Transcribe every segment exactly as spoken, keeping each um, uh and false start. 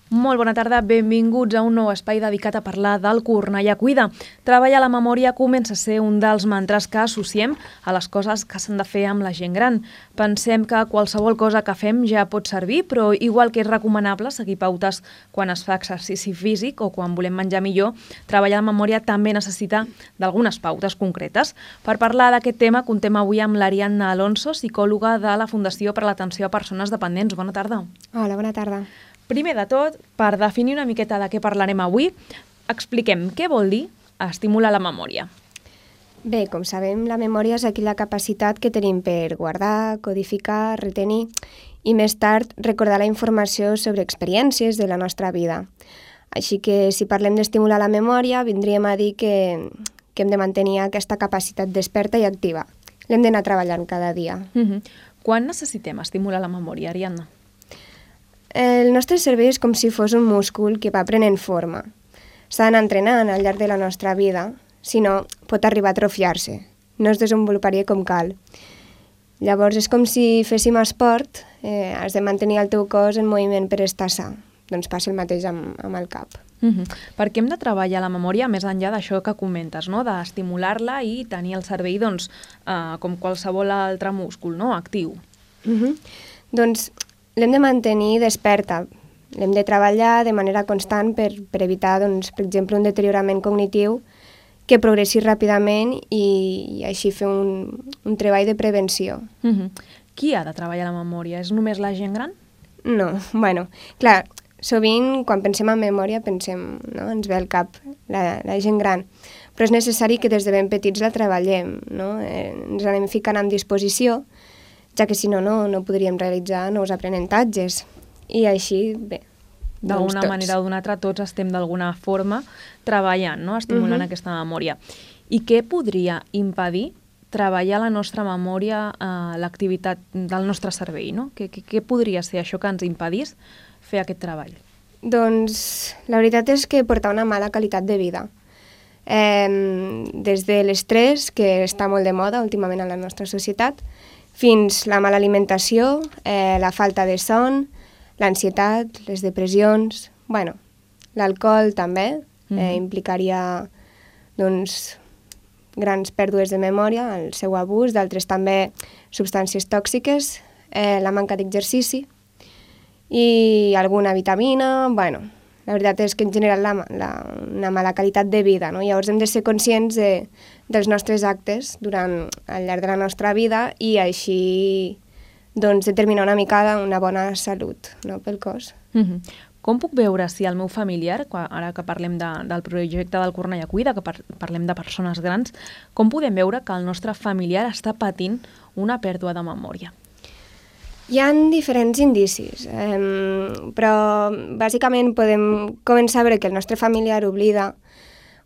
Molt bona tarda, benvinguts a un nou espai dedicat a parlar del Cornellà Cuida. Treballar la memòria comença a ser un dels mantres que associem a les coses que s'han de fer amb la gent gran. Pensem que qualsevol cosa que fem ja pot servir, però igual que és recomanable seguir pautes quan es fa exercici físic o quan volem menjar millor, treballar la memòria també necessita d'algunes pautes concretes. Per parlar d'aquest tema, contem avui amb l'Ariadna Alonso, psicòloga de la Fundació per a l'Atenció a Persones Dependents. Bona tarda. Hola, bona tarda. Primer de tot, per definir una miqueta de què parlarem avui, expliquem què vol dir estimular la memòria. Bé, com sabem, la memòria és aquella capacitat que tenim per guardar, codificar, retenir i més tard recordar la informació sobre experiències de la nostra vida. Així que si parlem d'estimular la memòria, vindríem a dir que, que hem de mantenir aquesta capacitat desperta i activa. L'hem d'anar treballant cada dia. Uh-huh. Quan necessitem estimular la memòria, Ariadna? El nostre cervell és com si fos un múscul que va prenent forma. S'ha d'anar entrenant al llarg de la nostra vida, si no pot arribar a atrofiar-se. No es desenvoluparia com cal. Llavors és com si féssim esport, eh, has de mantenir el teu cos en moviment per estar sa. Doncs passa el mateix amb, amb el cap. Uh-huh. Per què hem de treballar la memòria més enllà d'això que comentes, no? D'estimular-la i tenir el cervell doncs, eh, com qualsevol altre múscul, no? Actiu? Uh-huh. Doncs l'hem de mantenir desperta, l'hem de treballar de manera constant per, per evitar, doncs, per exemple, un deteriorament cognitiu que progressi ràpidament i, i així fer un, un treball de prevenció. Uh-huh. Qui ha de treballar la memòria? És només la gent gran? No, bueno, clar, sovint quan pensem en memòria pensem, no? Ens ve al cap la, la gent gran, però és necessari que des de ben petits la treballem, no? Eh, ens anem ficant en disposició, ja que si no, no, no podríem realitzar nous aprenentatges. I així, bé, d'alguna doncs manera o d'una altra, tots estem d'alguna forma treballant, no? Estimulant uh-huh. aquesta memòria. I què podria impedir treballar la nostra memòria, eh, l'activitat del nostre cervell, no? Què, què, què podria ser això que ens impedís fer aquest treball? Doncs la veritat és que portar una mala qualitat de vida. Eh, des de l'estrès, que està molt de moda últimament a la nostra societat, fins la mala alimentació, eh, la falta de son, l'ansietat, les depressions, bueno, l'alcohol també, mm-hmm. eh, implicaria doncs, grans pèrdues de memòria, el seu abús, d'altres també substàncies tòxiques, eh, la manca d'exercici i alguna vitamina, bueno, la veritat és que en general la, la, una mala qualitat de vida, no? Llavors hem de ser conscients de, dels nostres actes durant al llarg de la nostra vida i així doncs, determinar una mica una bona salut, no? Pel cos. Mm-hmm. Com puc veure si el meu familiar, ara que parlem de, del projecte del Cornellà Cuida, que par parlem de persones grans, com podem veure que el nostre familiar està patint una pèrdua de memòria? Hi ha diferents indicis, eh, però bàsicament podem començar a veure que el nostre familiar oblida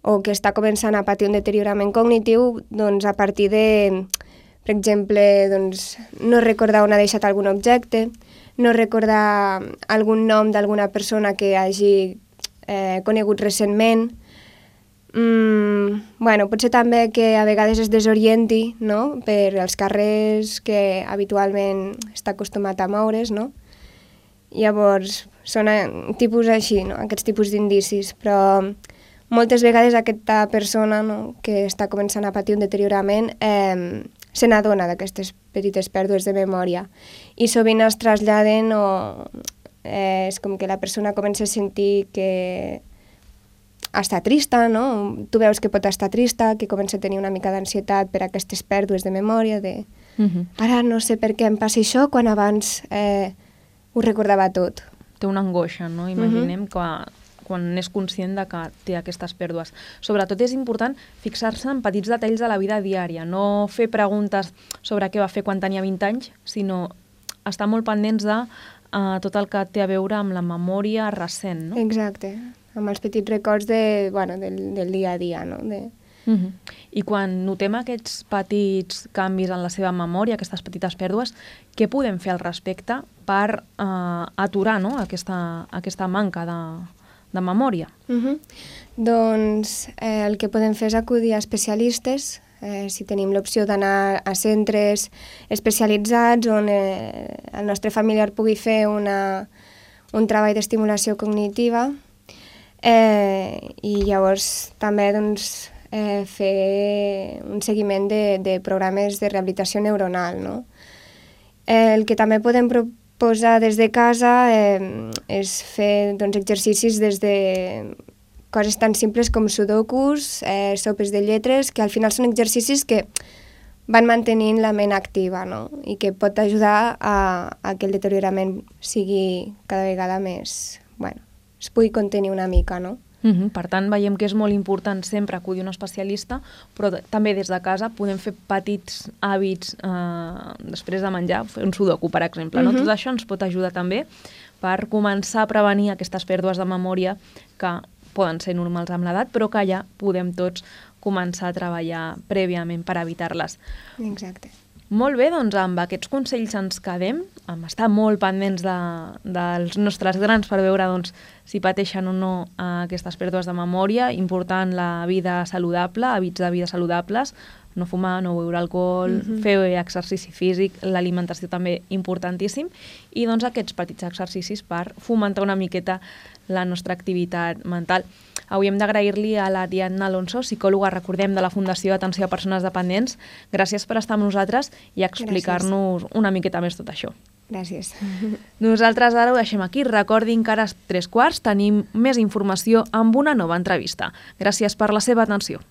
o que està començant a patir un deteriorament cognitiu doncs, a partir de, per exemple, doncs, no recordar on ha deixat algun objecte, no recordar algun nom d'alguna persona que hagi eh, conegut recentment. Mm, bueno, potser també que a vegades es desorienti, no? Per els carrers que habitualment està acostumat a moure's, no? Llavors, són tipus així, no? Aquests tipus d'indicis, però moltes vegades aquesta persona, no? Que està començant a patir un deteriorament eh, se n'adona d'aquestes petites pèrdues de memòria i sovint es traslladen o eh, és com que la persona comença a sentir que està trista, no? Tu veus que pot estar trista, que comença a tenir una mica d'ansietat per aquestes pèrdues de memòria, de uh-huh. ara no sé per què em passa això quan abans eh, ho recordava tot. Té una angoixa, no? Imaginem uh-huh. que quan és conscient de que té aquestes pèrdues. Sobretot és important fixar-se en petits detalls de la vida diària, no fer preguntes sobre què va fer quan tenia vint anys, sinó estar molt pendents de uh, tot el que té a veure amb la memòria recent, no? Exacte. Amb els petits records de, bueno, del, del dia a dia, no? De... Uh-huh. I quan notem aquests petits canvis en la seva memòria, aquestes petites pèrdues, què podem fer al respecte per uh, aturar, no? aquesta, aquesta manca de, de memòria? Uh-huh. Doncs eh, el que podem fer és acudir a especialistes, eh, si tenim l'opció d'anar a centres especialitzats on eh, el nostre familiar pugui fer una un treball d'estimulació cognitiva eh, i llavors també doncs, eh, fer un seguiment de, de programes de rehabilitació neuronal. No? Eh, el que també podem proposar des de casa eh, és fer doncs, exercicis des de coses tan simples com sudokus, eh, sopes de lletres, que al final són exercicis que van mantenint la ment activa, no? I que pot ajudar a, a que el deteriorament sigui cada vegada més... Bueno, es pugui contenir una mica, no? Uh-huh. Per tant, veiem que és molt important sempre acudir a un especialista, però també des de casa podem fer petits hàbits eh, després de menjar, fer un sudoku, per exemple. No? Uh-huh. Tot això ens pot ajudar també per començar a prevenir aquestes pèrdues de memòria que poden ser normals amb l'edat, però que ja podem tots començar a treballar prèviament per evitar-les. Exacte. Molt bé, doncs amb aquests consells ens quedem, amb estar molt pendents de, dels nostres grans per veure doncs, si pateixen o no eh, aquestes pèrdues de memòria, important la vida saludable, hàbits de vida saludables, no fumar, no beure alcohol, mm-hmm. fer exercici físic, l'alimentació també importantíssim, i doncs aquests petits exercicis per fomentar una miqueta la nostra activitat mental. Avui hem d'agrair-li a l'Ariadna Alonso, psicòloga, recordem, de la Fundació d'Atenció a Persones Dependents. Gràcies per estar amb nosaltres i explicar-nos una miqueta més tot això. Gràcies. Nosaltres ara ho deixem aquí. Recordin que ara a tres quarts tenim més informació amb una nova entrevista. Gràcies per la seva atenció.